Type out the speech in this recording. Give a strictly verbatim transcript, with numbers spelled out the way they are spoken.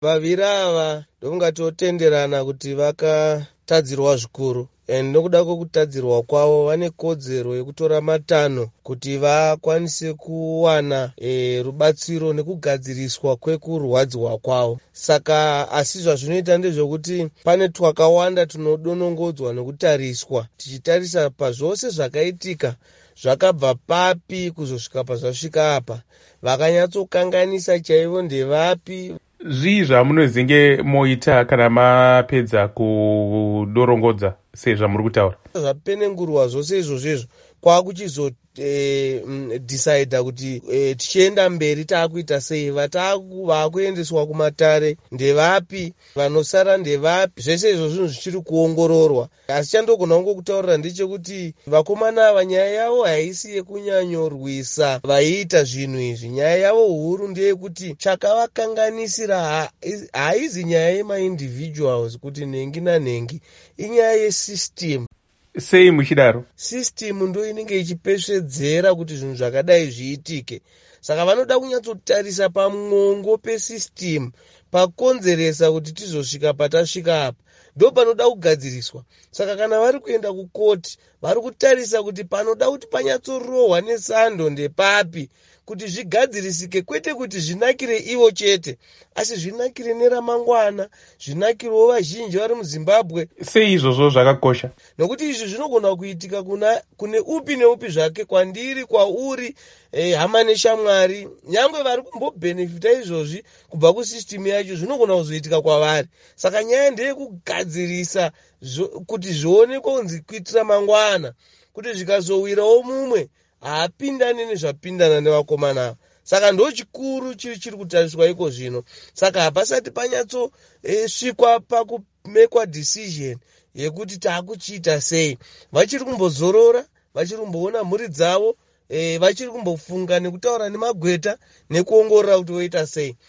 Vaviri ava ndofunga totenderana kuti vakatadzirwa zvikuru, and nokuda kwekutadzirwa kwavo vane kodzero yekutora matanho kuti vakwanise kuwana e, rubatsiro nekugadziriswa kwekurwadziwa kwavo. Saka asi zvazvinoita ndezvekuti pane twakawanda tunodonongodzwa nekutariswa, tichitarisa pazvose zvakaitika, zvakabva papi kuzosvika pazvasvika apa, vakanyatsokanganisa chaivo ndevapi. Zvii zvamunozenge moita kana mapedza kudorongodza sezvamuri kutaura? Zvapenengurwa zvose izvozvo izvo, kwakuchizodecida eh, kuti e, tichienda mberi taakuita sei, vaakuendeswa kumatare ndevapi, vanosara ndevapi. Zvese izvo zvinhu zvichiri kuongororwa, asi chandogona kungokutaurira ndechekuti vakomana ava nyaya yavo haisi yekunyanyorwisa vaiita zvinhu izvi. Nyaya yavo huru ndeyekuti chakavakanganisira haizi nyaya yemaindividuals kuti nhengi nanhengi, inyaya yesystem. Sei muchidaro? System ndo inenge ichipesvedzera kuti zvinhu zvakadai zviitike, saka vanoda kunyatsotarisa pamwongo pesystem pakonzeresa kuti tizosvika patasvika apa, ndo panoda kugadziriswa. Saka kana vari kuenda kukoti, vari kutarisa kuti panoda kuti panyatsorohwa nesando ndepapi kuti zvigadzirisike, kwete kuti zvinakire ivo chete, asi zvinakire neramangwana, zvinakirewo vazhinji vari muZimbabwe. Sei izvozvo zvakakosha? Nokuti izvi zvinogona kuitika kuna kune upi neupi zvake, kwandiri, kwauri, eh, hama neshamwari, nyangwe vari kumbobhenefita izvozvi kubva kusystem yacho, zvinogona kuzoitika kwavari. Saka nyaya ndeyekugadzirisa kuti zvionekwe kunzi kuitira mangwana kuti zvikazowirawo mumwe haapindani nezvapindana nevakomana ava. Saka ndo chikuru chiri chiri kutariswa iko zvino. Saka hapasati panyatsosvikwa e, pakumekwa decision yekuti taakuchiita sei. Vachiri kumbozorora, vachiri kumboona mhuri dzavo, e, vachiri kumbofunga nekutaura nemagweta nekuongorora kuti voita sei.